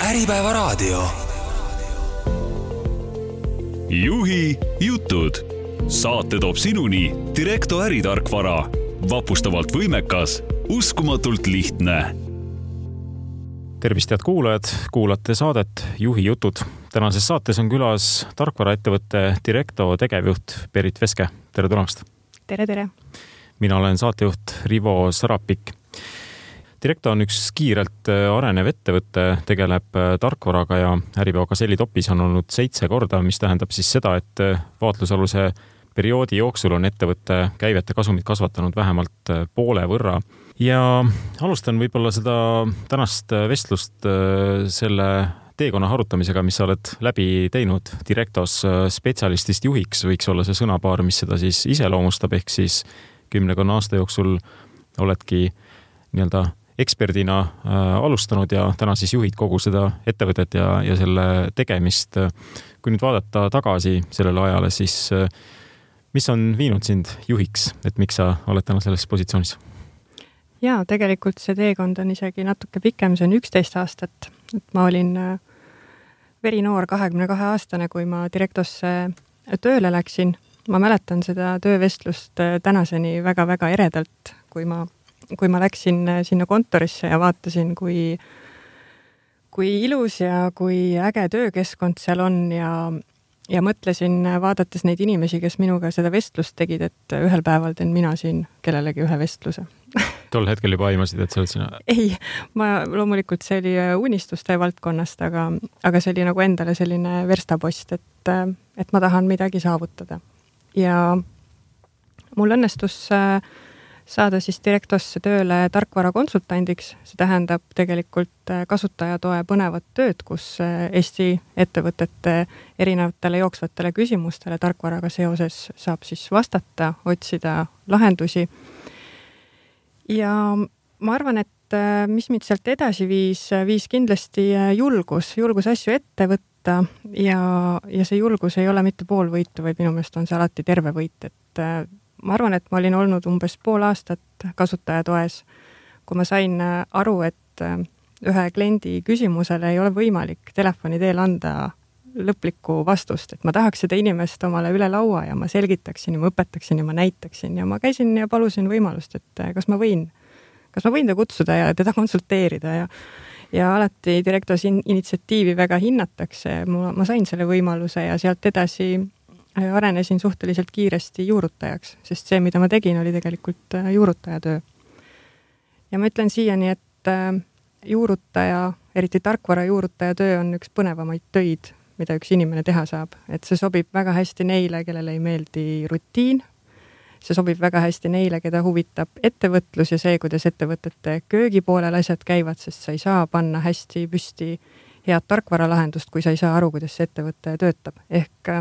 Äripäevaraadio. Juhi jutud. Saate toob sinuni Direkto äritarkvara. Vapustavalt võimekas, uskumatult lihtne. Tervist, head kuulajad, kuulate saadet Juhi jutud. Tänases saates on külas tarkvaraettevõtte Direkto tegevjuht Berit Veske. Tere tulemast! Tere! Mina olen saatejuht Rivo Sarapik. Direkto on üks kiirelt arenev ettevõte, tegeleb tarkvaraga ja Äripäeva Gazelli topis on olnud 7 korda, mis tähendab siis seda, et vaatlusaluse perioodi jooksul on ettevõtte käivete kasumid kasvatanud vähemalt poole võrra. Ja alustan võib-olla seda tänast vestlust selle teekonna harutamisega, mis sa oled läbi teinud Direktos spetsialistist juhiks, võiks olla see sõnapaar, mis seda siis iseloomustab, ehk siis 10 aasta jooksul oledki nii-öelda eksperdina alustanud ja täna siis juhid kogu seda ettevõtet ja selle tegemist. Kui nüüd vaadata tagasi sellele ajale, siis mis on viinud sind juhiks, et miks sa oled täna selles positsioonis? Jaa, tegelikult see teekond on isegi natuke pikem, see on 11 aastat. Ma olin verinoor 22-aastane, kui ma Direktosse tööle läksin. Ma mäletan seda töövestlust tänaseni väga-väga eredalt, kui ma läksin sinna kontorisse ja vaatasin, kui ilus ja kui äge töökeskkond seal on ja mõtlesin, vaadates neid inimesi, kes minuga seda vestlust tegid, et ühel päeval teen mina siin kellelegi ühe vestluse. Tol hetkel juba aimasid, et sa oled sina? Ei, loomulikult see oli unistuste valdkonnast, aga see oli nagu endale selline verstapost, et ma tahan midagi saavutada. Ja mul õnnestus saada siis Direktosse tööle tarkvara konsultandiks. See tähendab tegelikult kasutajatoe põnevat tööd, kus Eesti ettevõtete erinevatele jooksvatele küsimustele tarkvaraga seoses saab siis vastata, otsida lahendusi. Ja ma arvan, et mis mind sealt edasi viis kindlasti julgus asju ette võtta ja see julgus ei ole mitte pool võitu, vaid minu meelest on see alati terve võit, et ma arvan, et ma olin olnud umbes pool aastat kasutajatoes, kui ma sain aru, et ühe kliendi küsimusele ei ole võimalik telefoni teel anda lõplikku vastust, et ma tahaks seda inimest omale üle laua ja ma selgitaksin ja ma õpetaksin ja ma näitaksin ja ma käisin ja palusin võimalust, et kas ma võin ta kutsuda ja teda konsulteerida ja alati Direktos initsiatiivi väga hinnatakse. Ma sain selle võimaluse ja sealt edasi arenesin suhteliselt kiiresti juurutajaks, sest see, mida ma tegin, oli tegelikult juurutajatöö. Ja ma ütlen siiani, et juurutaja, eriti tarkvara juurutaja töö on üks põnevamaid töid, mida üks inimene teha saab. Et see sobib väga hästi neile, kellele ei meeldi rutiin. See sobib väga hästi neile, keda huvitab ettevõtlus ja see, kuidas ettevõtete köögi poolel asjad käivad, sest sa ei saa panna hästi püsti head tarkvaralahendust, kui sa ei saa aru, kuidas see ettevõte töötab. Ehk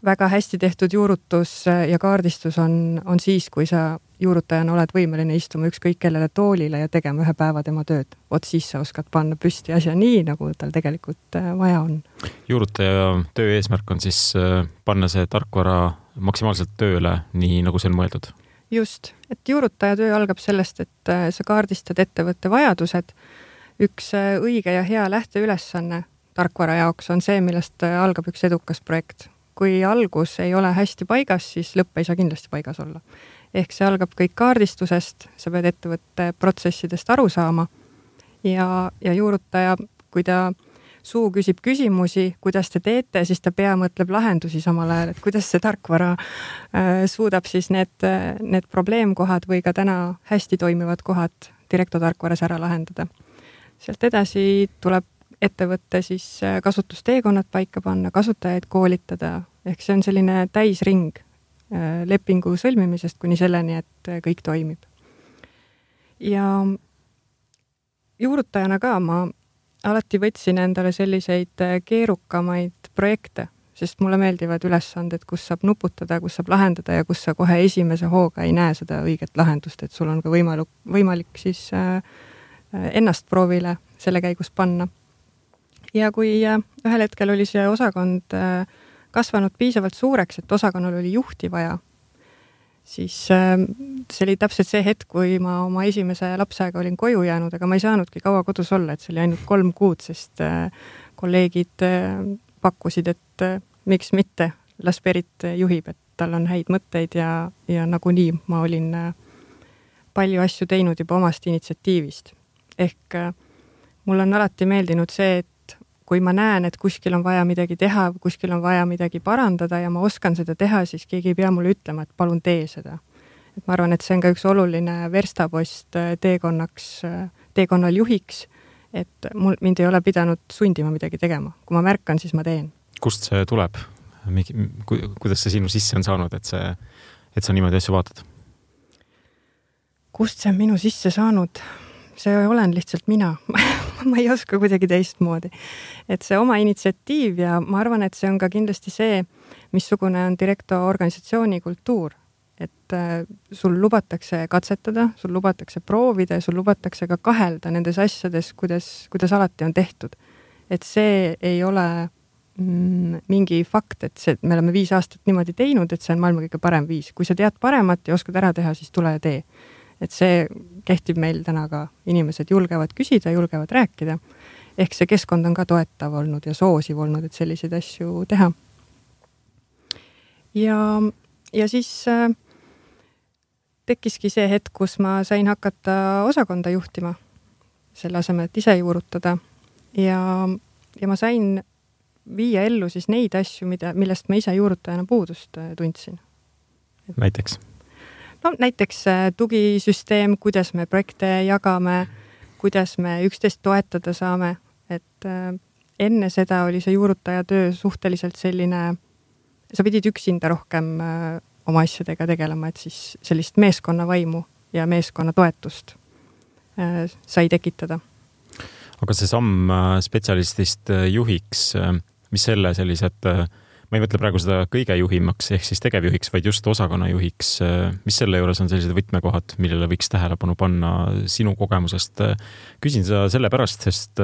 väga hästi tehtud juurutus ja kaardistus on siis, kui sa juurutajana oled võimeline istuma ükskõik kellele toolile ja tegema ühe päeva tema tööd. Siis sa oskad panna püsti asja nii, nagu tal tegelikult vaja on. Juurutaja töö eesmärk on siis panna see tarkvara maksimaalselt tööle, nii nagu see on mõeldud? Just, et juurutaja töö algab sellest, et sa kaardistad ettevõtte vajadused. Üks õige ja hea lähteülesanne tarkvara jaoks on see, millest algab üks edukas projekt. Kui algus ei ole hästi paigas, siis lõpp ei saa kindlasti paigas olla. Ehk see algab kõik kaardistusest, sa pead ettevõtte protsessidest aru saama ja juurutaja, kui ta suu küsib küsimusi, kuidas te teete, siis ta pea mõtleb lahendusi samal ajal, et kuidas see tarkvara suudab siis need probleemkohad või ka täna hästi toimivad kohad Direkto tarkvaras ära lahendada. Sealt edasi tuleb ettevõtte siis kasutusteekonnad paika panna, kasutajaid koolitada, ehk see on selline täisring lepingu sõlmimisest kuni selleni, et kõik toimib. Ja juurutajana ka ma alati võtsin endale selliseid keerukamaid projekte, sest mulle meeldivad ülesanded, kus saab nuputada, kus saab lahendada ja kus sa kohe esimese hooga ei näe seda õiget lahendust, et sul on ka võimalik siis ennast proovile selle käigus panna. Ja kui ühel hetkel oli see osakond kasvanud piisavalt suureks, et osakonnal oli juhti vaja, siis see oli täpselt see hetk, kui ma oma esimese lapsega olin koju jäänud, aga ma ei saanudki kaua kodus olla, et see oli ainult 3 kuud, sest kolleegid pakkusid, et miks mitte, las Berit juhib, et tal on häid mõtteid ja nagunii ma olin palju asju teinud juba omast initsiatiivist. Ehk mul on alati meeldinud see, et kui ma näen, et kuskil on vaja midagi teha, kuskil on vaja midagi parandada ja ma oskan seda teha, siis keegi ei pea mulle ütlema, et palun tee seda. Et ma arvan, et see on ka üks oluline verstapost teekonnal juhiks, et mind ei ole pidanud sundima midagi tegema. Kui ma märkan, siis ma teen. Kust see tuleb? Kuidas see sinu sisse on saanud, et sa niimoodi asju vaatad? Kust see on minu sisse saanud? See olen lihtsalt mina. Ma ei oska kuidagi teistmoodi. Et see oma initsiatiiv ja ma arvan, et see on ka kindlasti see, missugune on Directo organisatsiooni kultuur. Et sul lubatakse katsetada, sul lubatakse proovida ja sul lubatakse ka kahelda nendes asjades, kuidas alati on tehtud. Et see ei ole mingi fakt, et me oleme 5 aastat niimoodi teinud, et see on maailma kõige parem viis. Kui sa tead paremat ja oskad ära teha, siis tule ja tee. Et see kehtib meil täna ka. Inimesed julgevad küsida, julgevad rääkida. Ehk see keskkond on ka toetav olnud ja soosiv olnud, et selliseid asju teha. Ja siis tekkiski see hetk, kus ma sain hakata osakonda juhtima selle asemel, et ise juurutada. Ja ma sain viia ellu siis neid asju, millest ma ise juurutajana puudust tundsin. Näiteks? No näiteks tugisüsteem, kuidas me projekte jagame, kuidas me üksteist toetada saame, et enne seda oli see juurutaja töö suhteliselt selline, sa pidid üksinda rohkem oma asjadega tegelema, et siis sellist meeskonna vaimu ja meeskonna toetust sai tekitada. Aga see samm spetsialistist juhiks, mis selle sellised, ma ei mõtle praegu seda kõige juhimaks ehk siis tegevjuhiks, vaid just osakonna juhiks. Mis selle juures on sellised võtmekohad, millele võiks tähelepanu panna sinu kogemusest? Küsin seda sellepärast, sest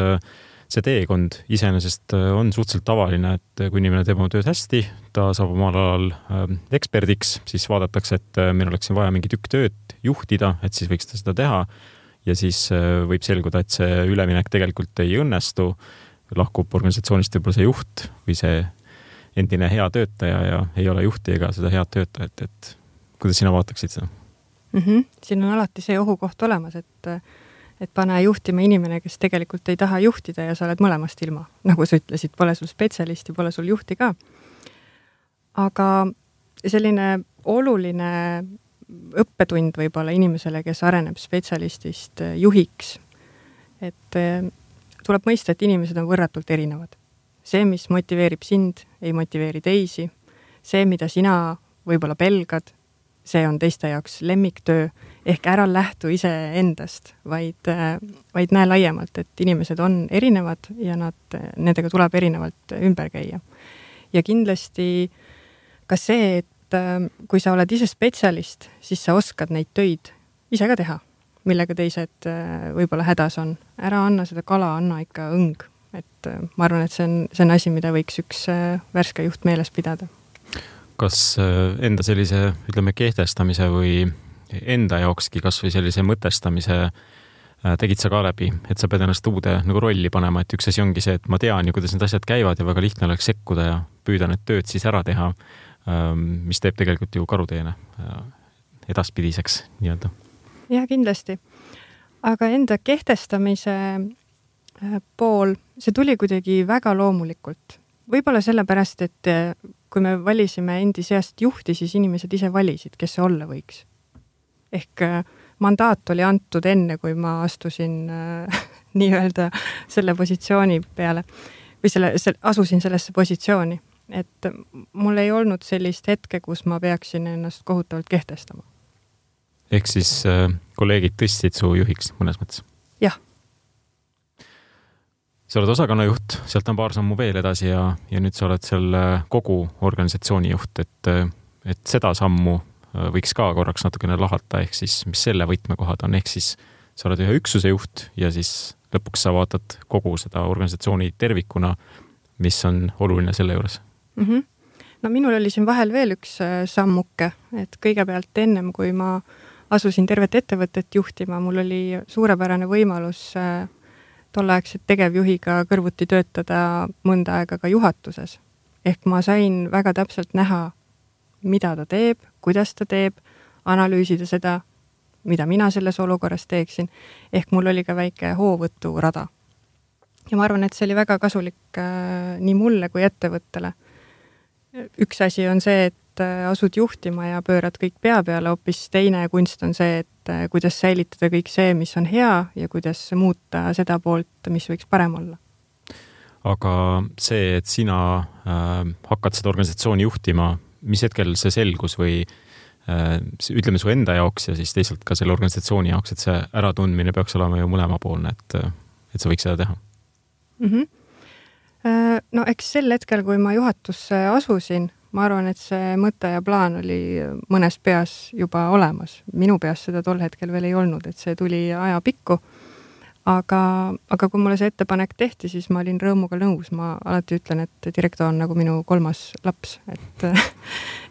see teekond iseenesest on suhteliselt tavaline, et kui inimene teeb oma tööd hästi, ta saab omal alal eksperdiks, siis vaadatakse, et meil oleks vaja mingi tükk tööd juhtida, et siis võiks ta seda teha ja siis võib selguda, et see üleminek tegelikult ei õnnestu, lahkub organisatsioonist võib-olla see juht või see endine hea töötaja ja ei ole juhti ega seda head töötajat, et kuidas sina vaataksid seda? Siin on alati see ohukoht olemas, et pane juhtima inimene, kes tegelikult ei taha juhtida ja sa oled mõlemast ilma. Nagu sa ütlesid, pole sul spetsialisti, pole sul juhti ka. Aga selline oluline õppetund võib-olla inimesele, kes areneb spetsialistist juhiks, et tuleb mõista, et inimesed on võrratult erinevad. See, mis motiveerib sind, ei motiveeri teisi. See, mida sina võib-olla pelgad, see on teiste jaoks lemmiktöö. Ehk ära lähtu ise endast, vaid näe laiemalt, et inimesed on erinevad ja nendega tuleb erinevalt ümber käia. Ja kindlasti ka see, et kui sa oled ise spetsialist, siis sa oskad neid töid ise ka teha, millega teised võib-olla hädas on. Ära anna seda kala, anna ikka õng. Et ma arvan, et see on asi, mida võiks üks värske juht meeles pidada. Kas enda sellise, ütleme, kehtestamise või enda jaokski kas või sellise mõtestamise tegid sa ka läbi, et sa pead ennast uude nagu rolli panema, et üks asi ongi see, et ma tean ju, kuidas need asjad käivad ja väga lihtne oleks sekkuda ja püüda need tööd siis ära teha, mis teeb tegelikult ju karuteene edaspidiseks nii-öelda. Ja kindlasti. Aga enda kehtestamise pool, see tuli kuidagi väga loomulikult. Võib-olla sellepärast, et kui me valisime endi seast juhti, siis inimesed ise valisid, kes see olla võiks. Ehk mandaat oli antud enne, kui ma astusin nii-öelda selle positsiooni peale või asusin sellesse positsiooni. Et mul ei olnud sellist hetke, kus ma peaksin ennast kohutavalt kehtestama. Ehk siis kolleegid tõstsid su juhiks mõnes mõttes? Jah. Sa oled osakonnajuht, sealt on paar sammu veel edasi ja nüüd sa oled selle kogu organisatsiooni juht, et seda sammu võiks ka korraks natukene lahata, ehk siis mis selle võtmekohad on, ehk siis sa oled ühe üksuse juht ja siis lõpuks sa vaatad kogu seda organisatsiooni tervikuna, mis on oluline selle juures. no minul oli siin vahel veel üks sammuke, et kõigepealt ennem, kui ma asusin tervet ettevõtet juhtima, mul oli suurepärane võimalus tolleaegset tegevjuhiga kõrvuti töötada mõnda aega ka juhatuses. Ehk ma sain väga täpselt näha, mida ta teeb, kuidas ta teeb, analüüsida seda, mida mina selles olukorras teeksin. Ehk mul oli ka väike hoovõturada. Ja ma arvan, et see oli väga kasulik nii mulle kui ettevõttele. Üks asi on see, et asud juhtima ja pöörad kõik pea peale, hoopis teine kunst on see, et kuidas säilitada kõik see, mis on hea ja kuidas muuta seda poolt, mis võiks parem olla. Aga see, et sina hakkad seda organisatsiooni juhtima, mis hetkel see selgus või ütleme su enda jaoks ja siis teisalt ka selle organisatsiooni jaoks, et see äratundmine peaks olema ju mõlemapoolne, et sa võiks seda teha? No eks sel hetkel, kui ma juhatusse asusin, ma arvan, et see mõte ja plaan oli mõnes peas juba olemas. Minu peas seda tol hetkel veel ei olnud, et see tuli aja pikku. Aga kui mulle see ettepanek tehti, siis ma olin rõõmuga nõus. Ma alati ütlen, et direktor on nagu minu 3. laps,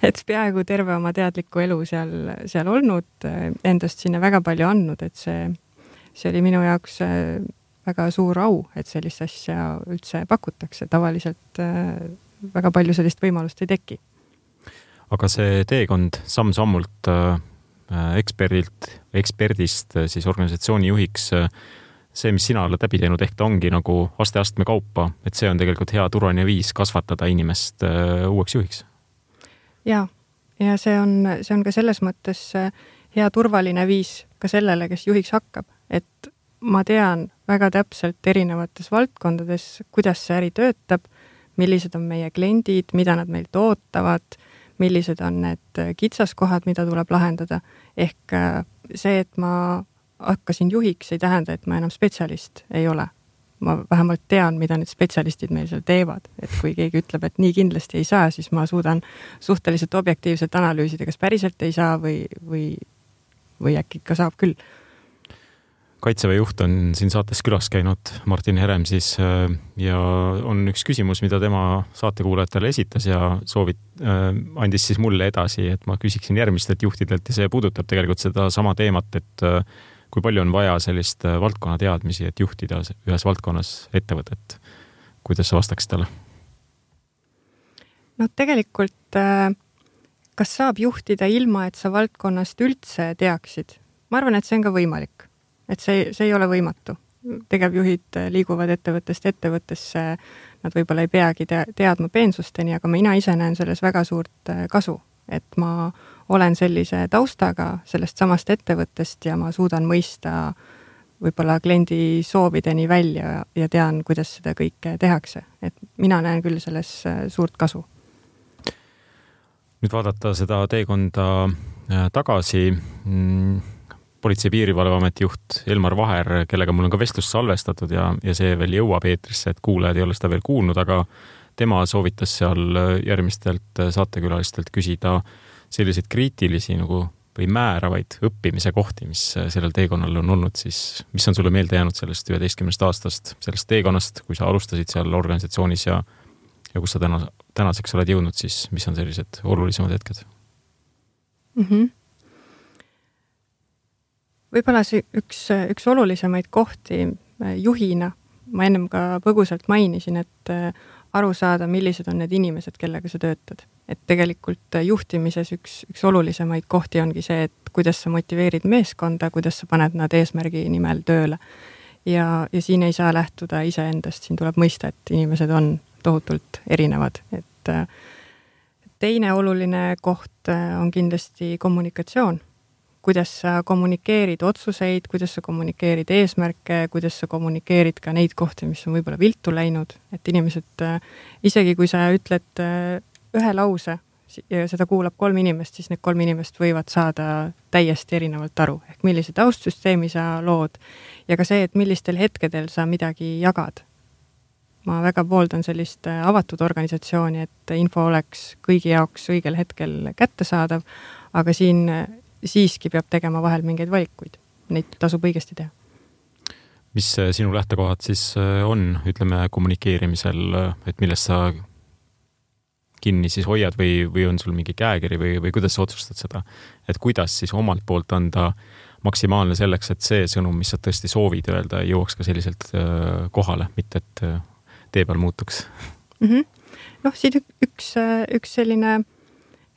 et peaaegu terve oma teadliku elu seal olnud, endast sinna väga palju andnud, et see oli minu jaoks väga suur au, et sellist asja üldse pakutakse. Tavaliselt väga palju sellist võimalust ei teki. Aga see teekond samm-sammult eksperdist siis organisatsiooni juhiks, see, mis sina oled läbi teinud, ehk ta ongi nagu aste-astme kaupa, et see on tegelikult hea turvaline viis kasvatada inimest uueks juhiks. Ja see on ka selles mõttes hea turvaline viis ka sellele, kes juhiks hakkab, et ma tean väga täpselt erinevates valdkondades, kuidas see äri töötab, millised on meie kliendid, mida nad meilt ootavad, millised on need kitsaskohad, mida tuleb lahendada. Ehk see, et ma hakkasin juhiks, ei tähenda, et ma enam spetsialist ei ole. Ma vähemalt tean, mida need spetsialistid meil seal teevad. Et kui keegi ütleb, et nii kindlasti ei saa, siis ma suudan suhteliselt objektiivselt analüüsida, kas päriselt ei saa või äkki ka saab küll. Kaitseväe juht on siin saates külas käinud, Martin Herem siis, ja on üks küsimus, mida tema saatekuulajatele esitas ja andis siis mulle edasi, et ma küsiksin järgmistelt juhtidelt ja see puudutab tegelikult seda sama teemat, et kui palju on vaja sellist valdkonna teadmisi, et juhtida ühes valdkonnas ettevõtet. Kuidas sa vastaksid talle? No tegelikult, kas saab juhtida ilma, et sa valdkonnast üldse teaksid? Ma arvan, et see on ka võimalik. Et see ei ole võimatu. Tegevjuhid liiguvad ettevõttest ettevõttesse, nad võib-olla ei peagi teadma peensusteni, aga mina ise näen selles väga suurt kasu, et ma olen sellise taustaga sellest samast ettevõttest ja ma suudan mõista võib-olla kliendi soovideni välja ja tean, kuidas seda kõike tehakse. Et mina näen küll selles suurt kasu. Nüüd vaadata seda teekonda tagasi, Politsei- ja Piirivalveameti juht Elmar Vaher, kellega mul on ka vestlust salvestatud ja see veel jõuab eetrisse, et kuulajad ei ole seda veel kuulnud, aga tema soovitas seal järgmistelt saatekülalistelt küsida selliseid kriitilisi või määravaid õppimise kohti, mis sellel teekonnal on olnud, siis mis on sulle meelde jäänud sellest 11 aastast, sellest teekonnast, kui sa alustasid seal organisatsioonis ja kus sa tänaseks oled jõudnud, siis mis on sellised olulisemad hetked? Võib-olla üks olulisemaid kohti juhina, ma ennem ka põgusalt mainisin, et aru saada, millised on need inimesed, kellega sa töötad. Et tegelikult juhtimises üks olulisemaid kohti ongi see, et kuidas sa motiveerid meeskonda, kuidas sa paned nad eesmärgi nimel tööle. Ja siin ei saa lähtuda iseendast, siin tuleb mõista, et inimesed on tohutult erinevad. Et teine oluline koht on kindlasti kommunikatsioon. Kuidas sa kommunikeerid otsuseid, kuidas sa kommunikeerid eesmärke, kuidas sa kommunikeerid ka neid kohti, mis on võib-olla viltu läinud. Et inimesed, isegi kui sa ütled ühe lause ja seda kuulab 3 inimest, siis need 3 inimest võivad saada täiesti erinevalt aru. Ehk millise taustsüsteemi sa lood ja ka see, et millistel hetkedel sa midagi jagad. Ma väga pooldan sellist avatud organisatsiooni, et info oleks kõigi jaoks õigel hetkel kättesaadav, aga siin siiski peab tegema vahel mingeid valikuid. Neid tasub õigesti teha. Mis sinu lähtekohad siis on, ütleme, kommunikeerimisel, et millest sa kinni siis hoiad või on sul mingi käekiri või kuidas sa otsustad seda, et kuidas siis omalt poolt anda maksimaalne selleks, et see sõnum, mis sa tõesti soovid öelda, jõuaks ka selliselt kohale, mitte et tee peal muutuks? Noh, siin üks selline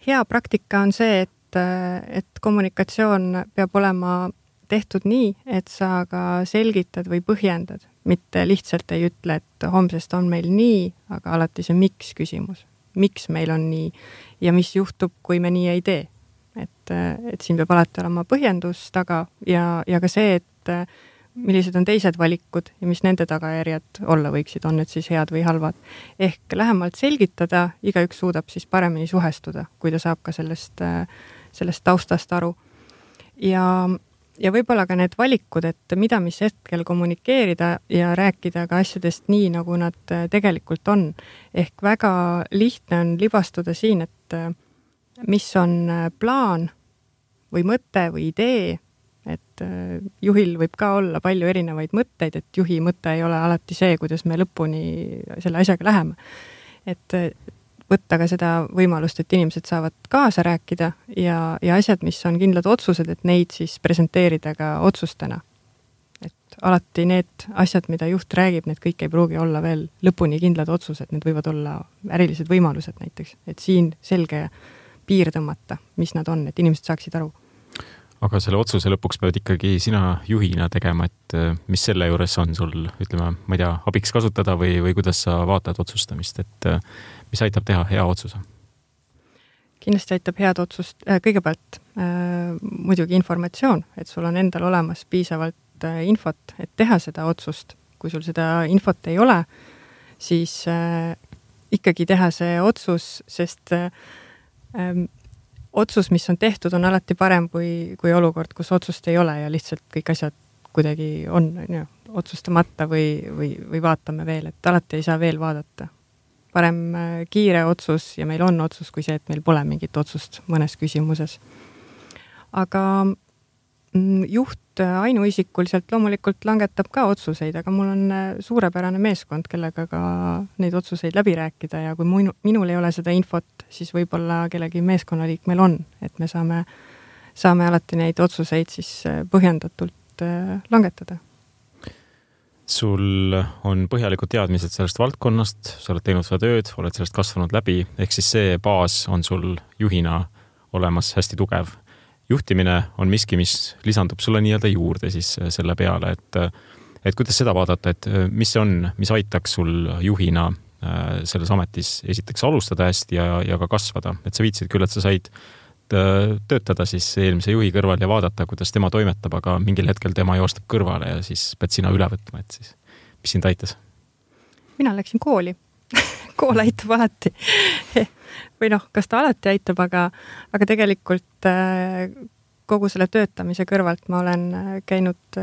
hea praktika on see, et kommunikatsioon peab olema tehtud nii, et sa ka selgitad või põhjendad, mitte lihtsalt ei ütle, et homsest on meil nii, aga alati see miks küsimus. Miks meil on nii ja mis juhtub, kui me nii ei tee. Et siin peab alati olema põhjendus taga ja ka see, et millised on teised valikud ja mis nende tagajärjed olla võiksid, on need siis head või halvad. Ehk lähemalt selgitada, igaüks suudab siis paremini suhestuda, kui ta saab ka sellest taustast aru. Ja võib-olla ka need valikud, et mida mis hetkel kommunikeerida ja rääkida ka asjadest nii, nagu nad tegelikult on. Ehk väga lihtne on libastuda siin, et mis on plaan või mõte või idee, et juhil võib ka olla palju erinevaid mõtteid, et juhi mõte ei ole alati see, kuidas me lõpuni selle asjaga läheme. Et võtta ka seda võimalust, et inimesed saavad kaasa rääkida ja asjad, mis on kindlad otsused, et neid siis presenteerida ka otsustena. Et alati need asjad, mida juht räägib, need kõik ei pruugi olla veel lõpuni kindlad otsused, need võivad olla ärilised võimalused näiteks, et siin selge piir tõmmata, mis nad on, et inimesed saaksid aru. Aga selle otsuse lõpuks pead ikkagi sina juhina tegema, et mis selle juures on sul, ütleme, ma ei tea, abiks kasutada või kuidas sa vaatad otsustamist, et mis aitab teha hea otsuse? Kindlasti aitab head otsust kõigepealt muidugi informatsioon, et sul on endal olemas piisavalt infot, et teha seda otsust. Kui sul seda infot ei ole, siis ikkagi teha see otsus, sest otsus, mis on tehtud, on alati parem kui olukord, kus otsust ei ole ja lihtsalt kõik asjad kuidagi on otsustamata või vaatame veel, et alati ei saa veel vaadata. Parem kiire otsus ja meil on otsus kui see, et meil pole mingit otsust mõnes küsimuses. Aga juht ainuisikuliselt loomulikult langetab ka otsuseid, aga mul on suurepärane meeskond, kellega ka neid otsuseid läbi rääkida ja kui minul ei ole seda infot, siis võib-olla kellegi meeskonnaliikmel on, et me saame alati neid otsuseid siis põhjendatult langetada. Sul on põhjalikud teadmised sellest valdkonnast, sa oled teinud seda tööd, oled sellest kasvanud läbi, ehk siis see baas on sul juhina olemas hästi tugev. Juhtimine on miski, mis lisandub sulle nii-öelda juurde siis selle peale, et kuidas seda vaadata, et mis on, mis aitaks sul juhina selles ametis esiteks alustada hästi ja ka kasvada. Et sa viitsid küll, et sa said töötada siis eelmise juhi kõrval ja vaadata, kuidas tema toimetab, aga mingil hetkel tema joostab kõrvale ja siis pead sina üle võtma, et siis mis sind aitas? Mina läksin kooli. Kool aitab alati. Või kas ta alati aitab, aga tegelikult kogu selle töötamise kõrvalt ma olen käinud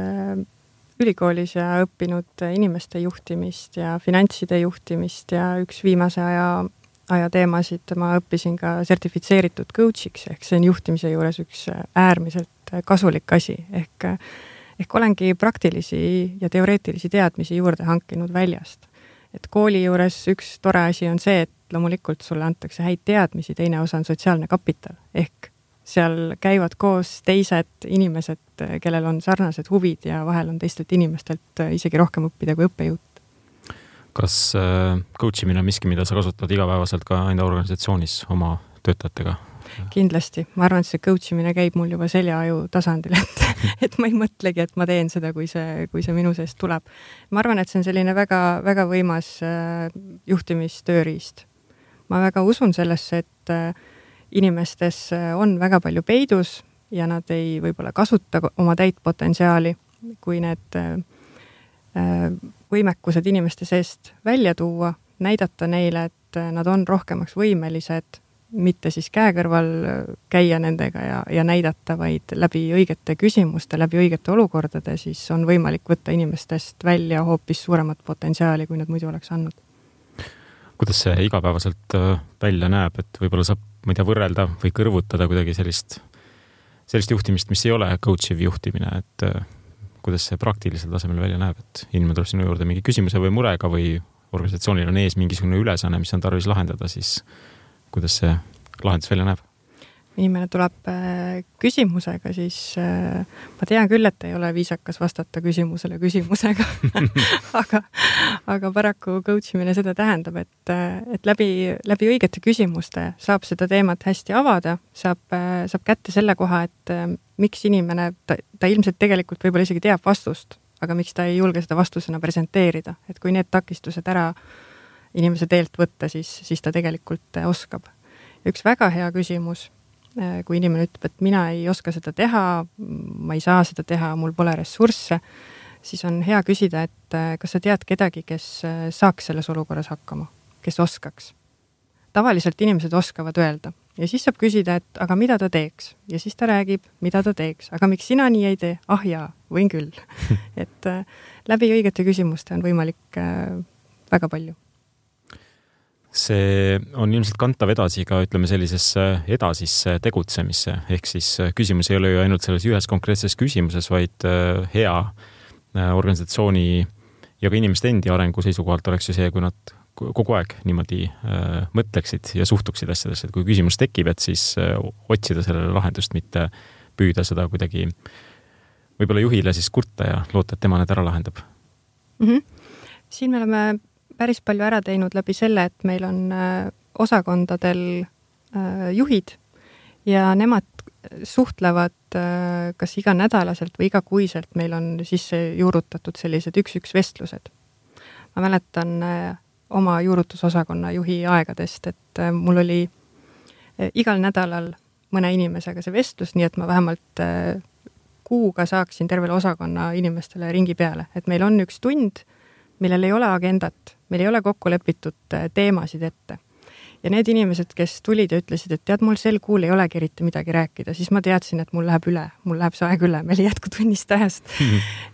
ülikoolis ja õppinud inimeste juhtimist ja finantside juhtimist ja üks viimase aja teemasid ma õppisin ka sertifitseeritud coachiks, ehk see on juhtimise juures üks äärmiselt kasulik asi. Ehk olengi praktilisi ja teoreetilisi teadmisi juurde hankinud väljast. Et kooli juures üks tore asi on see, et loomulikult sulle antakse häid teadmisi, teine osa on sotsiaalne kapital. Ehk seal käivad koos teised inimesed, kellel on sarnased huvid ja vahel on teistelt inimestelt isegi rohkem õppida kui õppejõud. Kas coachimine on miski, mida sa kasutad igapäevaselt ka enda organisatsioonis oma töötajatega? Kindlasti. Ma arvan, et see coachimine käib mul juba seljaaju tasandil, et ma ei mõtlegi, et ma teen seda, kui see minu seest tuleb. Ma arvan, et see on selline väga, väga võimas juhtimistööriist. Ma väga usun sellesse, et inimestes on väga palju peidus ja nad ei võib-olla kasuta oma täit potentsiaali, kui need võimekused inimeste seest välja tuua, näidata neile, et nad on rohkemaks võimelised, mitte siis käe kõrval käia nendega ja näidata, vaid läbi õigete küsimuste, läbi õigete olukordade, siis on võimalik võtta inimestest välja hoopis suuremat potentsiaali, kui nad muidu oleks andnud. Kuidas see igapäevaselt välja näeb, et võib-olla saab, ma ei tea, võrrelda või kõrvutada kuidagi sellist juhtimist, mis ei ole coachiv juhtimine, et kuidas see praktilisel tasemel välja näeb, et inimene tuleb sinu juurde mingi küsimuse või murega või organisatsioonil on ees mingisugune ülesanne, mis on tarvis lahendada, siis kuidas see lahendus välja näeb? Inimene tuleb küsimusega, siis ma tean küll, et ei ole viisakas vastata küsimusele küsimusega aga paraku coachimine seda tähendab, et läbi õigete küsimuste saab seda teemat hästi avada, saab kätte selle koha, et miks inimene, ta ilmselt tegelikult võib-olla isegi teab vastust, aga miks ta ei julge seda vastusena presenteerida, et kui need takistused ära inimese teelt võtta, siis ta tegelikult oskab. Üks väga hea küsimus, kui inimene ütleb, et mina ei oska seda teha, ma ei saa seda teha, mul pole ressursse, siis on hea küsida, et kas sa tead kedagi, kes saaks selles olukorras hakkama, kes oskaks. Tavaliselt inimesed oskavad öelda ja siis saab küsida, et aga mida ta teeks ja siis ta räägib, mida ta teeks, aga miks sina nii ei tee? Ah jaa, võin küll. et läbi õigete küsimuste on võimalik väga palju. See on ilmselt kantav edasi ka, ütleme, sellisesse edasisse tegutsemisse, ehk siis küsimus ei ole ju ainult selles ühes konkreetses küsimuses, vaid hea organisatsiooni ja ka inimeste endi arengu seisukohalt oleks ju see, kui nad kogu aeg niimoodi mõtleksid ja suhtuksid asjadesse, et kui küsimus tekib, et siis otsida sellele lahendust, mitte püüda seda kuidagi võib-olla juhile siis kurta ja loota, et tema need ära lahendab. Siin me oleme päris palju ära teinud läbi selle, et meil on osakondadel juhid ja nemad suhtlevad kas iganädalaselt või igakuiselt. Meil on sisse juurutatud sellised 1-1 vestlused. Ma mäletan oma juurutusosakonna juhi aegadest, et mul oli igal nädalal mõne inimesega see vestlus, nii et ma vähemalt kuuga saaksin tervele osakonna inimestele ringi peale. Et meil on 1 tund, millel ei ole agendat, meil ei ole kokku lepitud teemasid ette. Ja need inimesed, kes tulid ja ütlesid, et tead, mul sel kuul ei olegi eriti midagi rääkida, siis ma teadsin, et mul läheb see aeg üle, meil ei jätku tunnist ajast.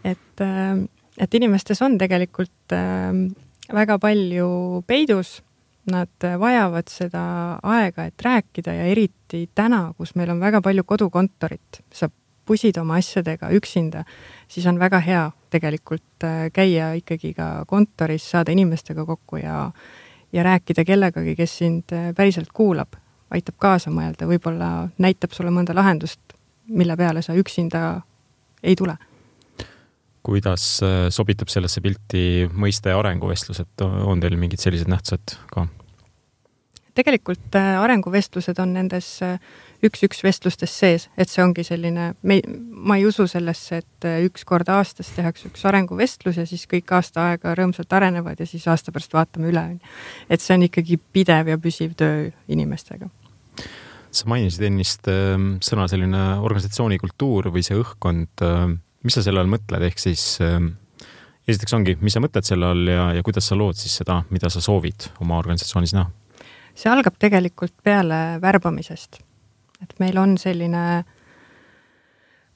et inimestes on tegelikult väga palju peidus, nad vajavad seda aega, et rääkida ja eriti täna, kus meil on väga palju kodukontorit, saab pusid oma asjadega üksinda, siis on väga hea tegelikult käia ikkagi ka kontoris, saada inimestega kokku ja rääkida kellegagi, kes sind päriselt kuulab, aitab kaasa mõelda, võib-olla näitab sulle mõnda lahendust, mille peale sa üksinda ei tule. Kuidas sobitab sellesse pilti mõiste arenguvestlused? On teil mingid sellised nähtused ka? Tegelikult arenguvestlused on nendes 1-1 vestlustes sees, et see ongi selline, ma ei usu sellesse, et 1 kord aastas tehakse 1 arenguvestlus ja siis kõik aasta aega rõõmsalt arenevad ja siis aasta pärast vaatame üle. Et see on ikkagi pidev ja püsiv töö inimestega. Sa mainisid ennist sõna selline organisatsioonikultuur või see õhkkond. Mis sa selle all mõtled? Ehk siis esiteks ongi, mis sa mõtled selle all ja kuidas sa lood siis seda, mida sa soovid oma organisatsioonis näha? See algab tegelikult peale värbamisest. Et meil on selline,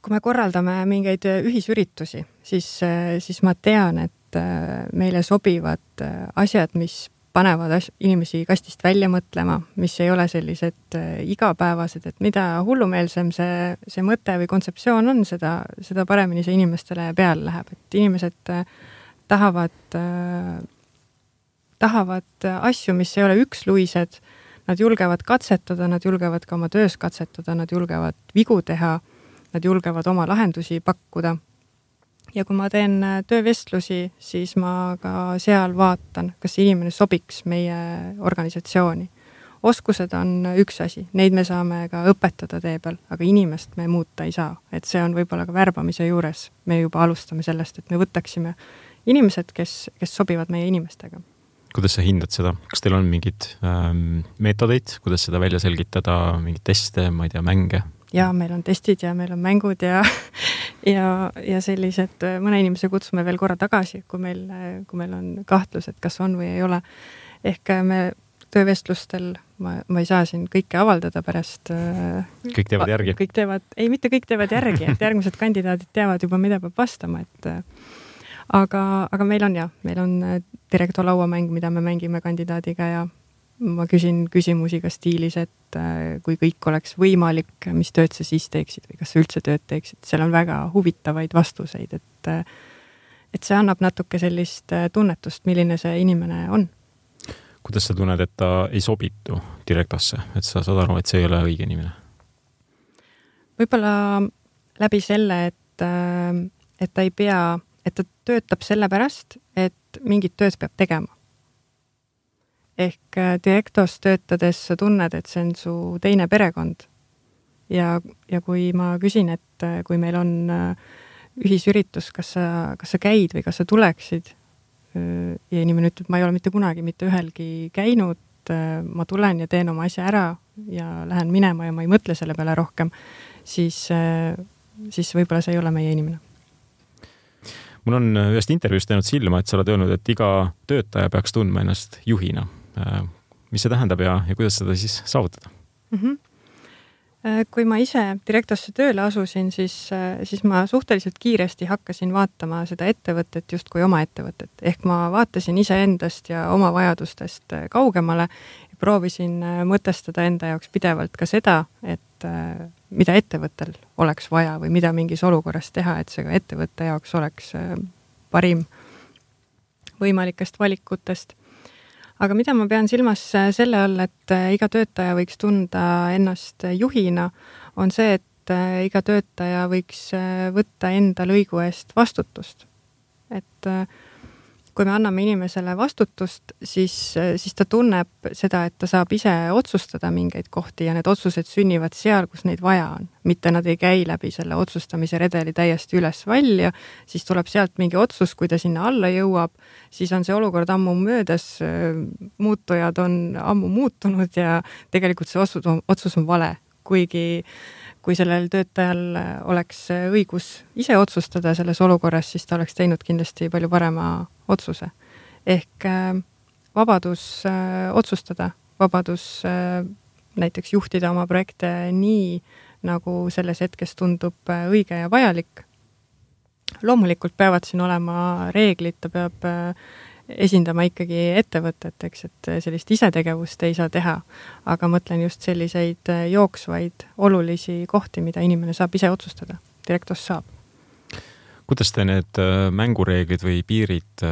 kui me korraldame mingeid ühisüritusi, siis ma tean, et meile sobivad asjad, mis panevad inimesi kastist välja mõtlema, mis ei ole sellised igapäevased, et mida hullumeelsem see mõte või kontseptsioon on, seda paremini see inimestele peale läheb. Et inimesed tahavad asju, mis ei ole üksluised, nad julgevad katsetada, nad julgevad ka oma töös katsetada, nad julgevad vigu teha, nad julgevad oma lahendusi pakkuda. Ja kui ma teen töövestlusi, siis ma ka seal vaatan, kas inimene sobiks meie organisatsiooni. Oskused on üks asi, neid me saame ka õpetada tee peal, aga inimest me muuta ei saa. Et see on võib-olla ka värbamise juures. Me juba alustame sellest, et me võtaksime inimesed, kes sobivad meie inimestega. Kuidas sa hindad seda? Kas teil on mingid meetodeid, kuidas seda välja selgitada, mingid teste, ma ei tea, mänge? Ja meil on testid ja meil on mängud ja sellised, mõne inimese kutsume veel korra tagasi, kui meil on kahtlus, et kas on või ei ole. Ehk me töövestlustel, ma ei saa siin kõike avaldada pärast. Kõik teevad järgi? Mitte kõik teevad järgi, et järgmised kandidaadid teavad juba, mida peab vastama, aga meil on direktor lauamäng, mida me mängime kandidaadiga ja ma küsin küsimusi ka stiilis, et kui kõik oleks võimalik, mis tööd sa siis teeksid või kas sa üldse tööd teeksid. Seal on väga huvitavaid vastuseid, et see annab natuke sellist tunnetust, milline see inimene on. kuidas sa tunned, et ta ei sobitu Directosse, et sa saad aru, et see ei ole õige inimene? Võib-olla läbi selle, et ta ei pea, et ta töötab sellepärast, et mingit tööd peab tegema. Ehk Directos töötades sa tunned, et see on su teine perekond. Ja kui ma küsin, et kui meil on ühisüritus, kas sa käid või kas sa tuleksid, ja inimene ütleb, ma ei ole mitte kunagi mitte ühelgi käinud, ma tulen ja teen oma asja ära ja lähen minema ja ma ei mõtle selle peale rohkem, siis võib-olla see ei ole meie inimene. Mul on ühest intervjuust teinud silma, et sa oled öelnud, et iga töötaja peaks tundma ennast juhina. Mis see tähendab ja kuidas seda siis saavutada? Kui ma ise Directosse tööle asusin, siis ma suhteliselt kiiresti hakkasin vaatama seda ettevõtet just kui oma ettevõtet. Ehk ma vaatasin iseendast ja oma vajadustest kaugemale ja proovisin mõtestada enda jaoks pidevalt ka seda, et mida ettevõttel oleks vaja või mida mingis olukorras teha, et see ka ettevõtte jaoks oleks parim võimalikest valikutest. Aga mida ma pean silmas selle all, et iga töötaja võiks tunda ennast juhina, on see, et iga töötaja võiks võtta enda lõigu eest vastutust. Et kui me anname inimesele vastutust, siis ta tunneb seda, et ta saab ise otsustada mingeid kohti ja need otsused sünnivad seal, kus neid vaja on. Mitte nad ei käi läbi selle otsustamise redeli täiesti üles välja, siis tuleb sealt mingi otsus, kui ta sinna alla jõuab, siis on see olukord ammu möödas, muutujad on ammu muutunud ja tegelikult see otsus on vale, kuigi kui sellel töötajal oleks õigus ise otsustada selles olukorras, siis ta oleks teinud kindlasti palju parema otsuse. Ehk vabadus otsustada, vabadus näiteks juhtida oma projekte nii, nagu selles hetkes tundub õige ja vajalik. Loomulikult peavad siin olema reeglid, ta peab esindama ikkagi ettevõtet, eks, et sellist isetegevust ei saa teha, aga mõtlen just selliseid jooksvaid olulisi kohti, mida inimene saab ise otsustada. Directos saab. Kuidas te need mängureeglid või piirid,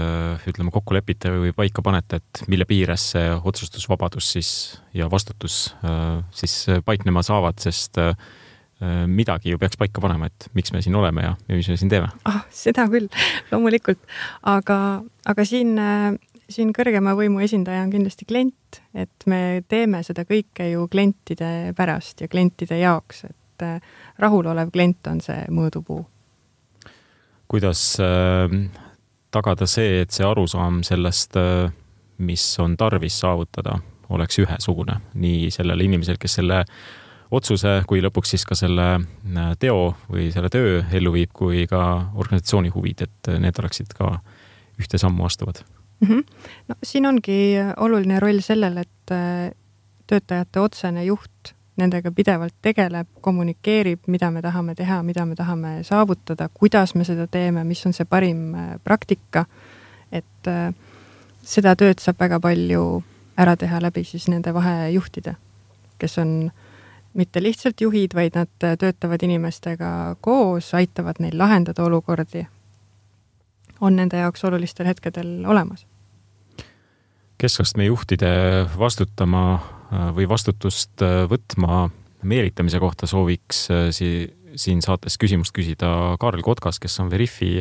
ütleme, kokku lepite või paika panete, et mille piires see otsustusvabadus siis ja vastutus siis paiknema saavad, sest midagi ju peaks paika panema, et miks me siin oleme ja mis me siin teeme? Seda küll, loomulikult. Aga siin kõrgema võimu esindaja on kindlasti klient, et me teeme seda kõike ju klientide pärast ja klientide jaoks, et rahulolev klient on see mõõdupuu. Kuidas tagada see, et see arusaam sellest, mis on tarvis saavutada, oleks ühesugune nii sellele inimesel, kes selle otsuse, kui lõpuks siis ka selle teo või selle töö ellu viib, kui ka organisatsiooni huvid, et need oleksid ka ühte sammu astuvad? No, siin ongi oluline roll sellel, et töötajate otsene juht nendega pidevalt tegeleb, kommunikeerib, mida me tahame teha, mida me tahame saavutada, kuidas me seda teeme, mis on see parim praktika, et seda tööd saab väga palju ära teha läbi siis nende vahejuhtide, kes on mitte lihtsalt juhid, vaid nad töötavad inimestega koos, aitavad neil lahendada olukordi, on nende jaoks olulistel hetkedel olemas. Keskastme juhtide vastutama või vastutust võtma meelitamise kohta sooviks siin saates küsimust küsida Kaarel Kotkas, kes on Veriffi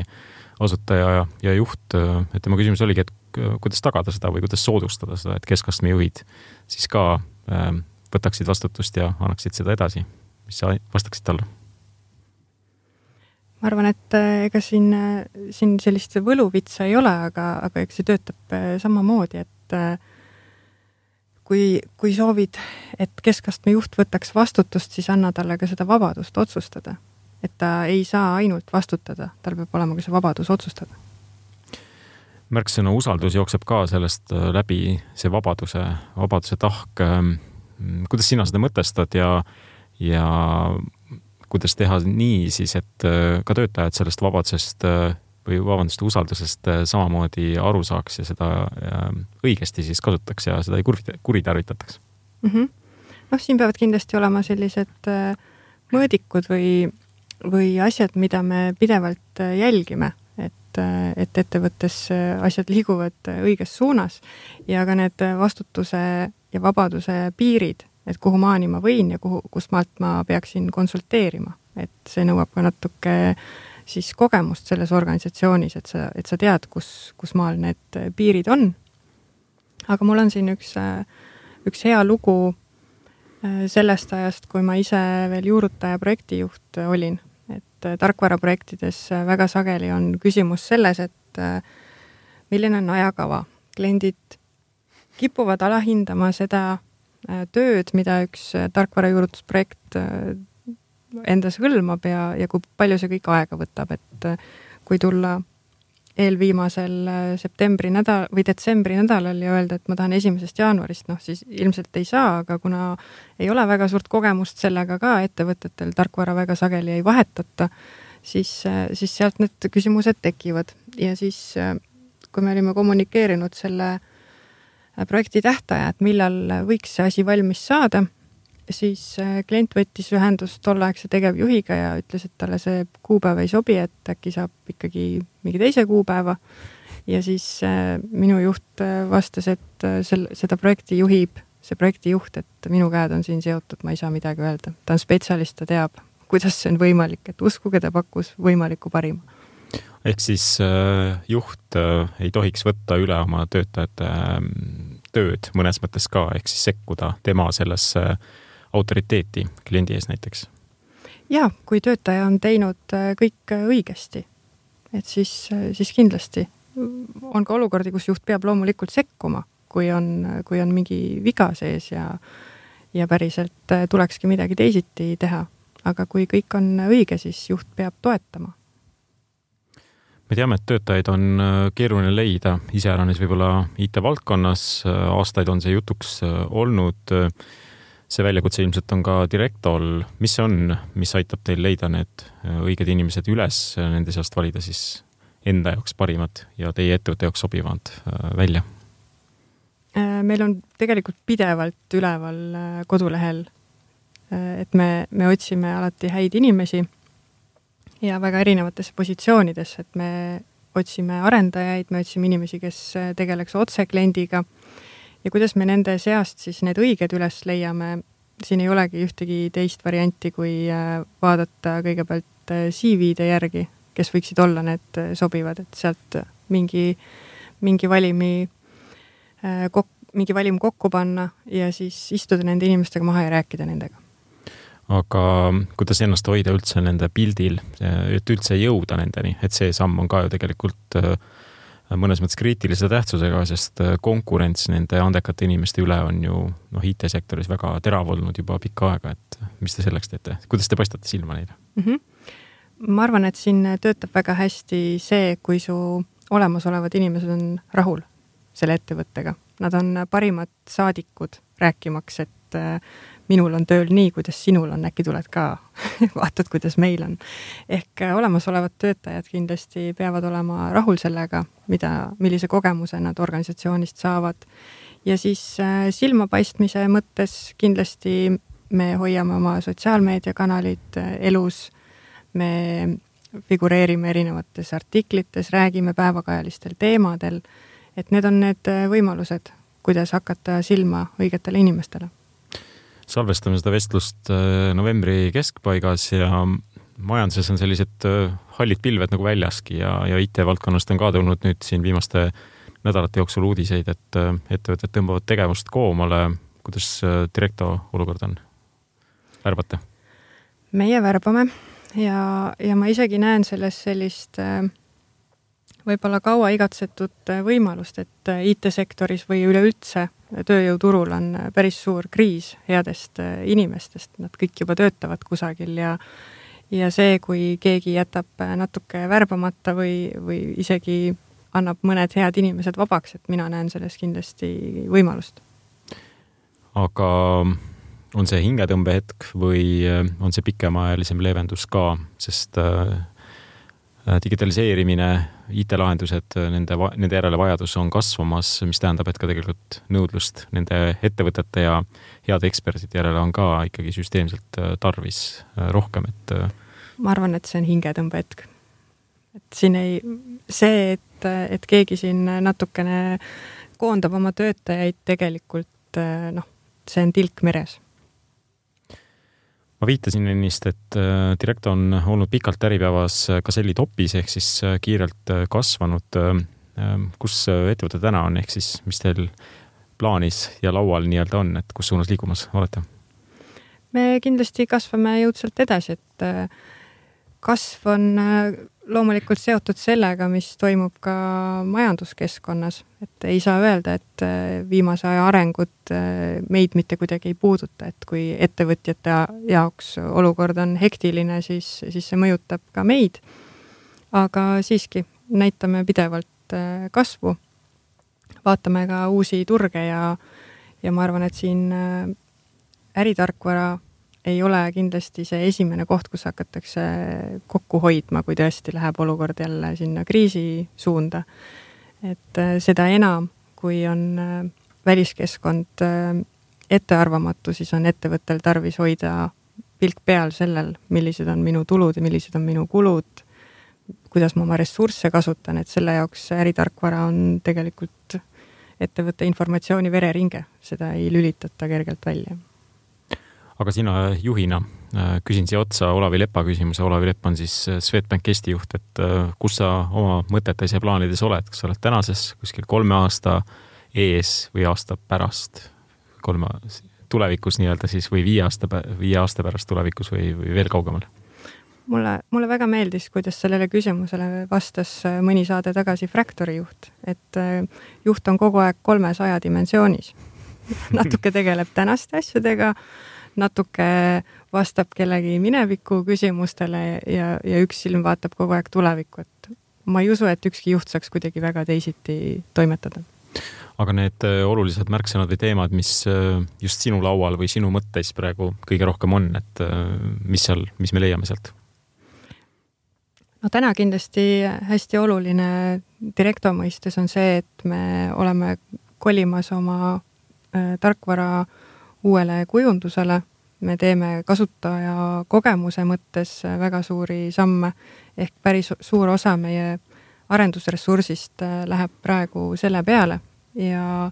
asutaja ja juht. Et tema küsimus oligi, et kuidas tagada seda või kuidas soodustada seda, et keskastme juhid siis ka võtaksid vastutust ja annaksid seda edasi. Mis sa vastaksid talle? Ma arvan, et ega siin sellist võluvitsa ei ole, aga eks see töötab samamoodi, et kui soovid, et keskastme juht võtaks vastutust, siis anna talle ka seda vabadust otsustada. Et ta ei saa ainult vastutada, tal peab olema ka see vabadus otsustada. Märksõna usaldus jookseb ka sellest läbi see vabaduse tahk. Kuidas sina seda mõtestad ja kuidas teha nii siis, et ka töötajad sellest vabadusest või usaldusest samamoodi aru saaks ja seda õigesti siis kasutaks ja seda ei kuritarvitataks? No, siin peavad kindlasti olema sellised mõõdikud või asjad, mida me pidevalt jälgime, et et ettevõttes asjad liiguvad õiges suunas ja ka need vastutuse ja vabaduse piirid, et kuhu maani ma võin ja kust maalt ma peaksin konsulteerima. Et see nõuab ka natuke siis kogemust selles organisatsioonis, et sa tead, kus maal need piirid on. Aga mul on siin üks hea lugu sellest ajast, kui ma ise veel juurutaja projektijuht olin. Et tarkvaraprojektides väga sageli on küsimus selles, et milline on ajakava. Kliendid kipuvad alahindama seda tööd, mida üks tarkvarajuurutusprojekt endas hõlmab ja kui palju see kõik aega võtab. Et kui tulla eelviimasel septembri nädal või detsembri nädalal ja öelda, et ma tahan 1. jaanuarist, siis ilmselt ei saa, aga kuna ei ole väga suurt kogemust sellega ka ettevõtetel, tarkvara väga sageli ei vahetata, siis sealt need küsimused tekivad. Ja siis, kui me olime kommunikeerinud selle projekti tähtaja, et millal võiks see asi valmis saada, siis klient võttis ühendust tolleaegse tegevjuhiga ja ütles, et talle see kuupäev ei sobi, et äkki saab ikkagi mingi teise kuupäeva. Ja siis minu juht vastas, et seda projekti juhib see projektijuht, et minu käed on siin seotud, ma ei saa midagi öelda. Ta on spetsialist, ta teab, kuidas see on võimalik, et uskuge, ta pakkus võimaliku parima. Ehk siis juht ei tohiks võtta üle oma töötajate tööd mõnes mõttes ka, ehk siis sekkuda tema sellesse autoriteeti kliendi ees näiteks. Ja, kui töötaja on teinud kõik õigesti, et siis kindlasti on ka olukordi, kus juht peab loomulikult sekkuma, kui on mingi viga sees ja päriselt tulekski midagi teisiti teha. Aga kui kõik on õige, siis juht peab toetama. Me teame, et töötajaid on keeruline leida, iseäranis võib-olla IT-valdkonnas, aastaid on see jutuks olnud. See väljakutse ilmselt on ka direktol. Mis see on, mis aitab teil leida need õiged inimesed üles, nende seast valida siis enda jaoks parimad ja teie ettevõtte jaoks sobivad välja? Meil on tegelikult pidevalt üleval kodulehel, et me otsime alati häid inimesi ja väga erinevates positsioonides, et me otsime arendajaid, me otsime inimesi, kes tegeleks otse kliendiga. Ja kuidas me nende seast siis need õiged üles leiame, siin ei olegi ühtegi teist varianti, kui vaadata kõigepealt CV-de järgi, kes võiksid olla need sobivad, et sealt mingi valim kokku panna ja siis istuda nende inimestega maha ja rääkida nendega. Aga kuidas ennast hoida üldse nende pildil, et üldse jõuda nendeni, et see samm on ka ju tegelikult mõnes mõttes kriitilise tähtsusega, sest konkurents nende andekate inimeste üle on ju IT-sektoris väga terav olnud juba pikka aega, et mis te selleks teete? Kuidas te paistate silma neile? Ma arvan, et siin töötab väga hästi see, kui su olemasolevad inimesed on rahul selle ettevõttega. Nad on parimad saadikud rääkimaks, et minul on tööl nii, kuidas sinul on, äkki tuled ka, vaatad, kuidas meil on. Ehk olemasolevad töötajad kindlasti peavad olema rahul sellega, millise kogemuse nad organisatsioonist saavad. Ja siis silmapaistmise mõttes kindlasti me hoiame oma sotsiaalmeediakanalid elus, me figureerime erinevates artiklites, räägime päevakajalistel teemadel, et need on need võimalused, kuidas hakata silma õigetele inimestele. Salvestame seda vestlust novembri keskpaigas ja majanduses on sellised hallid pilved nagu väljaski ja IT-valdkonnast on ka tulnud nüüd siin viimaste nädalate jooksul uudiseid, et ettevõtted tõmbavad tegevust koomale. Kuidas direkto olukord on? Värbate? Meie värbame ja ma isegi näen selles sellist võib-olla kaua igatsetud võimalust, et IT-sektoris või üleüldse tööjõuturul on päris suur kriis headest inimestest. Nad kõik juba töötavad kusagil ja see, kui keegi jätab natuke värbamata või isegi annab mõned head inimesed vabaks, et mina näen selles kindlasti võimalust. Aga on see hingetõmbehetk või on see pikemaajalisem leevendus ka, sest digitaliseerimine, IT-lahendused, nende järele vajadus on kasvamas, mis tähendab, et ka tegelikult nõudlust nende ettevõtete ja heade eksperdide järele on ka ikkagi süsteemselt tarvis rohkem. Ma arvan, et see on hingetõmbehetk. et siin see, et keegi siin natukene koondab oma töötajaid tegelikult, see on tilk meres. Ma viitasin ennist, et Directo on olnud pikalt Äripäevas Gazelli topis ehk siis kiirelt kasvanud. Kus ettevõte täna on, ehk siis mis teil plaanis ja laual nii-öelda on, et kus suunas liigumas olete? Me kindlasti kasvame jõudsalt edasi, et kasv on loomulikult seotud sellega, mis toimub ka majanduskeskkonnas, et ei saa öelda, et viimase aja arengud meid mitte kuidagi ei puuduta, et kui ettevõtjate jaoks olukord on hektiline, siis see mõjutab ka meid, aga siiski näitame pidevalt kasvu, vaatame ka uusi turge ja ma arvan, et siin äritarkvara ei ole kindlasti see esimene koht, kus hakatakse kokku hoidma, kui tõesti läheb olukord jälle sinna kriisi suunda. Et seda enam, kui on väliskeskkond ettearvamatu, siis on ettevõttel tarvis hoida pilk peal sellel, millised on minu tulud ja millised on minu kulud, kuidas ma oma ressursse kasutan, et selle jaoks äritarkvara on tegelikult ettevõtte informatsiooni vereringe, seda ei lülitata kergelt välja. Aga sina juhina küsin siia otsa Olavi Lepa küsimuse. Olavi Lepp on siis Swedbank Eesti juht, et kus sa oma mõtetes ja plaanides oled? Kas sa oled tänases kuskil 3 aasta ees või aasta pärast? Tulevikus nii-öelda siis või 5 aasta pärast tulevikus või veel kaugemal? Mulle väga meeldis, kuidas sellele küsimusele vastas mõni saade tagasi Fractori juht, et juht on kogu aeg 300 dimensioonis. Natuke tegeleb tänaste asjadega, natuke vastab kellegi mineviku küsimustele ja üks silm vaatab kogu aeg tulevikku, et ma ei usu, et ükski juht saaks kuidagi väga teisiti toimetada. Aga need olulised märksõnad või teemad, mis just sinu laual või sinu mõtteis praegu kõige rohkem on, et mis me leiame sealt? No täna kindlasti hästi oluline Directo mõistes on see, et me oleme kolimas oma tarkvara uuele kujundusele. Me teeme kasutaja kogemuse mõttes väga suuri samme, ehk päris suur osa meie arendusressursist läheb praegu selle peale ja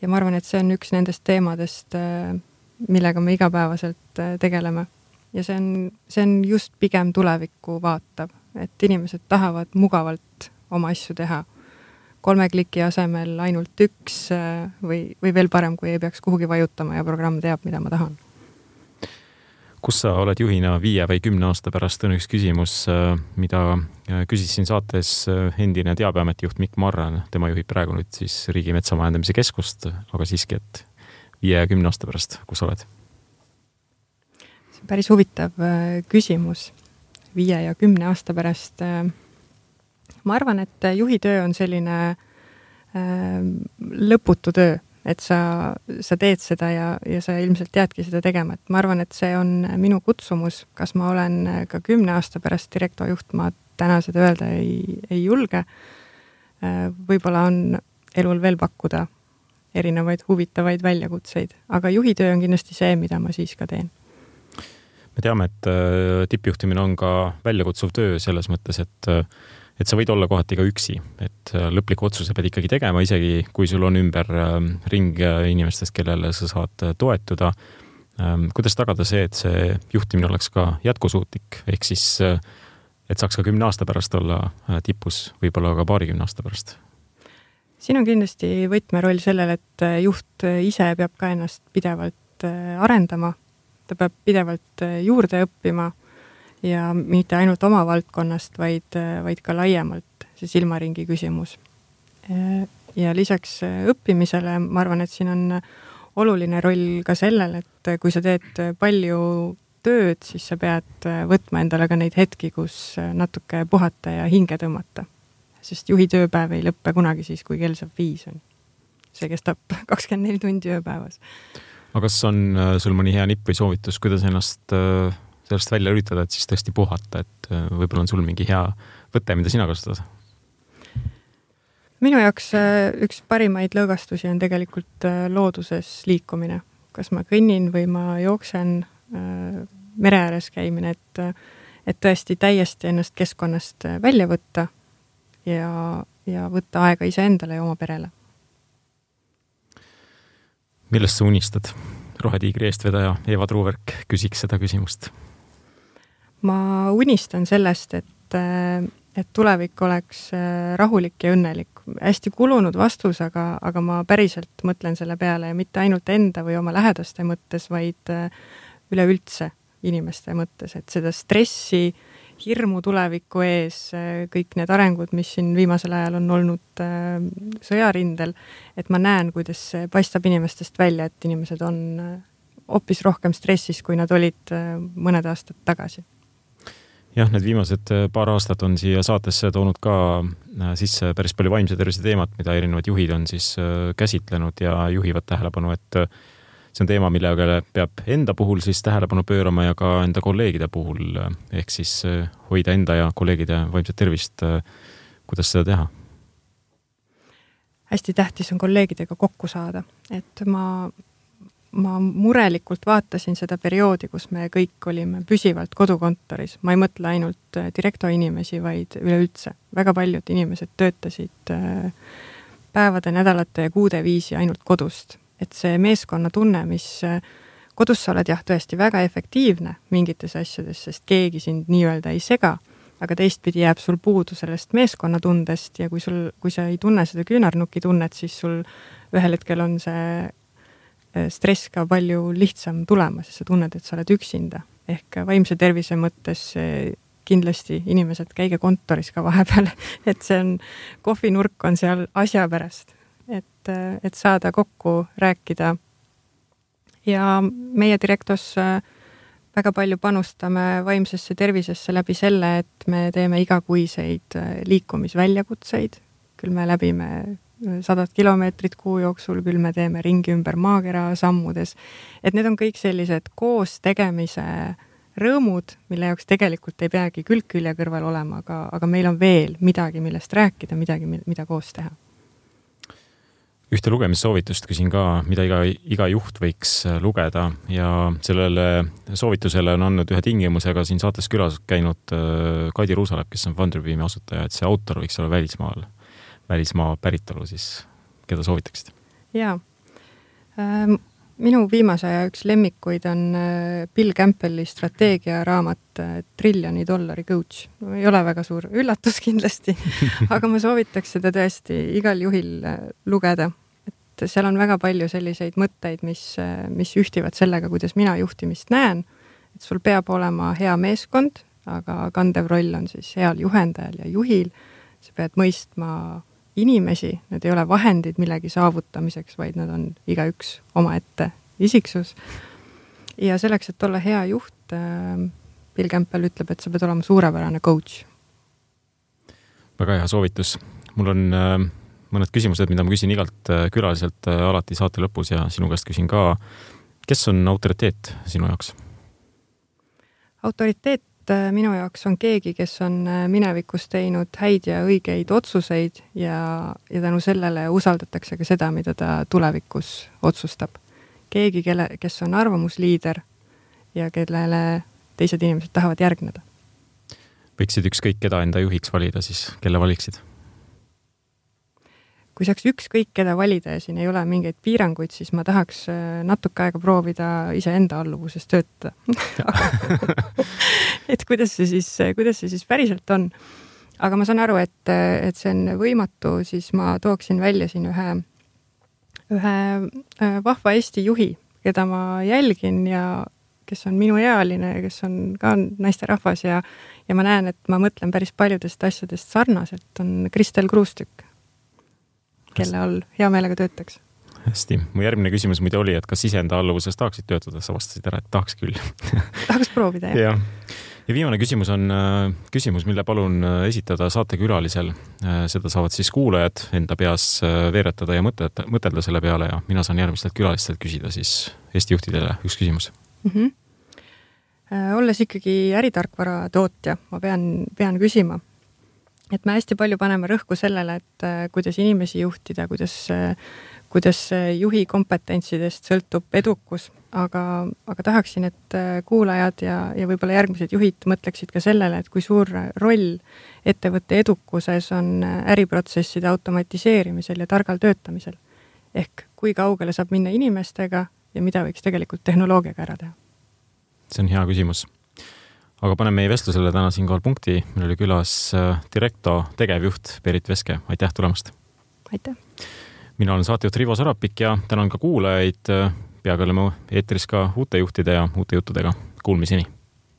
ma arvan, et see on üks nendest teemadest, millega me igapäevaselt tegeleme. Ja see on just pigem tulevikku vaatav, et inimesed tahavad mugavalt oma asju teha. 3 kliki asemel ainult 1 või veel parem, kui ei peaks kuhugi vajutama ja programm teab, mida ma tahan. Kus sa oled juhina 5 või 10 aasta pärast? On üks küsimus, mida küsis siin saates endine Teabeameti juht Mikk Marran. Tema juhib praegu nüüd siis Riigi Metsamajandamise Keskust, aga siiski, et 5 ja 10 aasta pärast, kus oled? See on päris huvitav küsimus. 5 ja 10 aasta pärast ma arvan, et juhitöö on selline lõputu töö, et sa teed seda ja sa ilmselt teadki seda tegema, et ma arvan, et see on minu kutsumus, kas ma olen ka 10 aasta pärast Directo juht, ma täna seda öelda ei julge. Võib-olla on elul veel pakkuda erinevaid huvitavaid väljakutseid, aga juhitöö on kindlasti see, mida ma siis ka teen. Me teame, et tippjuhtimine on ka väljakutsuv töö selles mõttes, et sa võid olla kohati ka üksi, et lõpliku otsuse pead ikkagi tegema, isegi kui sul on ümber ring inimestest, kellele sa saad toetuda. Kuidas tagada see, et see juhtimine oleks ka jätkusuutlik, ehk siis, et saaks ka 10 aasta pärast olla tipus, võib-olla ka 20 aasta pärast? Siin on kindlasti võtmeroll sellel, et juht ise peab ka ennast pidevalt arendama, ta peab pidevalt juurde õppima ja mitte ainult oma valdkonnast, vaid ka laiemalt see silmaringi küsimus. Ja lisaks õppimisele ma arvan, et siin on oluline roll ka sellel, et kui sa teed palju tööd, siis sa pead võtma endale ka neid hetki, kus natuke puhata ja hinge tõmmata. Sest juhi tööpäev ei lõppe kunagi siis, kui kell saab 5 on. See kestab 24 tundi ööpäevas. Aga kas on sul mõni hea nipp või soovitus, kuidas ennast sellest välja üritada, et siis tõesti puhata, et võib-olla on sul mingi hea võte, mida sina kasutad? Minu jaoks üks parimaid lõõgastusi on tegelikult looduses liikumine. Kas ma kõnnin või ma jooksen mere ääres käimine, et tõesti täiesti ennast keskkonnast välja võtta ja võtta aega iseendale ja oma perele. Millest sa unistad? Rohetiigri eestvedaja Eva Truuverk küsiks seda küsimust. Ma unistan sellest, et tulevik oleks rahulik ja õnnelik. Hästi kulunud vastus, aga ma päriselt mõtlen selle peale ja mitte ainult enda või oma lähedaste mõttes, vaid üleüldse inimeste mõttes, et seda stressi, hirmu tuleviku ees, kõik need arengud, mis siin viimasel ajal on olnud sõjarindel, et ma näen, kuidas see paistab inimestest välja, et inimesed on hoopis rohkem stressis, kui nad olid mõned aastad tagasi. Jah, need viimased paar aastat on siia saatesse toonud ka sisse päris palju vaimse tervise teemat, mida erinevad juhid on siis käsitlenud ja juhivad tähelepanu, et see on teema, millega peab enda puhul siis tähelepanu pöörama ja ka enda kolleegide puhul, ehk siis hoida enda ja kolleegide vaimset tervist. Kuidas seda teha? Hästi tähtis on kolleegidega kokku saada, et ma murelikult vaatasin seda perioodi, kus me kõik olime püsivalt kodukontoris. Ma ei mõtle ainult direkto inimesi, vaid üleüldse. Väga paljud inimesed töötasid päevade, nädalate ja kuude viisi ainult kodust. Et see meeskonna tunne, mis kodus sa oled jah tõesti väga efektiivne mingites asjades, sest keegi sind nii-öelda ei sega, aga teistpidi jääb sul puudu sellest meeskonna tundest ja kui sa ei tunne seda küünarnuki tunnet, siis sul ühel hetkel on see stress ka palju lihtsam tulema, sest sa tunned, et sa oled üksinda. Ehk vaimse tervise mõttes kindlasti inimesed käige kontoris ka vahepeal, et see on, kohvinurk on seal asja pärast. Et saada kokku, rääkida. Ja meie direktos väga palju panustame vaimsesse tervisesse läbi selle, et me teeme igakuiseid liikumisväljakutseid. Küll me läbime 100 kilomeetrit kuu jooksul, küll me teeme ringi ümber maakera sammudes. Et need on kõik sellised koos tegemise rõõmud, mille jaoks tegelikult ei peagi külg-külje kõrval olema, aga meil on veel midagi, millest rääkida, midagi, mida koos teha. Ühte lugemissoovitust küsin ka, mida iga juht võiks lugeda ja sellele soovitusele on andnud ühe tingimusega siin saates külas käinud Kaidi Ruusalep, kes on Funderbeami asutaja, et see autor võiks olla välismaa päritolu, siis keda soovitaksid? Jaa. Minu viimase aja üks lemmikuid on Bill Campbelli strateegiaraamat $1 trillion coach. Ei ole väga suur üllatus kindlasti, aga ma soovitaks seda tõesti igal juhil lugeda. Et seal on väga palju selliseid mõtteid, mis ühtivad sellega, kuidas mina juhtimist näen. Et sul peab olema hea meeskond, aga kandev roll on siis heal juhendajal ja juhil. Sa pead mõistma inimesi, need ei ole vahendid millegi saavutamiseks, vaid nad on igaüks omaette isiksus. Ja selleks, et olla hea juht, Bill Campbell ütleb, et sa pead olema suurepärane coach. Väga hea soovitus. Mul on mõned küsimused, mida ma küsin igalt külaliselt alati saate lõpus ja sinu käest küsin ka. Kes on autoriteet sinu jaoks? Autoriteet minu jaoks on keegi, kes on minevikus teinud häid ja õigeid otsuseid ja tänu sellele usaldatakse ka seda, mida ta tulevikus otsustab. Keegi, kes on arvamusliider ja kellele teised inimesed tahavad järgneda. Võiksid ükskõik keda enda juhiks valida, siis kelle valiksid? Kui saaks ükskõik keda valida ja siin ei ole mingeid piiranguid, siis ma tahaks natuke aega proovida iseenda alluvuses töötada. Et kuidas see siis päriselt on. Aga ma saan aru, et see on võimatu, siis ma tooksin välja siin ühe vahva Eesti juhi, keda ma jälgin ja kes on minu ealine, kes on ka naisterahvas ja ma näen, et ma mõtlen päris paljudest asjadest sarnaselt, on Kristel Kruustükk, kelle all hea meelega töötaks. Hästi. Mu järgmine küsimus muide oli, et kas iseenda alluvuses tahaksid töötada? Sa vastasid ära, et tahaks küll. Tahaks proovida, jah. Ja viimane küsimus on küsimus, mille palun esitada saatekülalisel. Seda saavad siis kuulajad enda peas veeretada ja mõtelda selle peale ja mina saan järgmistelt külalistelt küsida siis Eesti juhtidele üks küsimus. Olles ikkagi äritarkvara tootja, ma pean küsima. Et me hästi palju paneme rõhku sellele, et kuidas inimesi juhtida, kuidas kuidas juhi kompetentsidest sõltub edukus, aga tahaksin, et kuulajad ja võib-olla järgmised juhid mõtleksid ka sellele, et kui suur roll ettevõtte edukuses on äriprotsesside automatiseerimisel ja targal töötamisel. Ehk kui kaugele saab minna inimestega ja mida võiks tegelikult tehnoloogiaga ära teha? See on hea küsimus. Aga paneme meie vestlusele täna siinkohal punkti. Meil oli külas Directo tegevjuht Berit Veske. Aitäh tulemast! Aitäh! Mina olen saatejuht Rivo Sarapik ja tänan ka kuulajaid. Peagi oleme eetris ka uute juhtide ja uute juttudega. Kuulmiseni!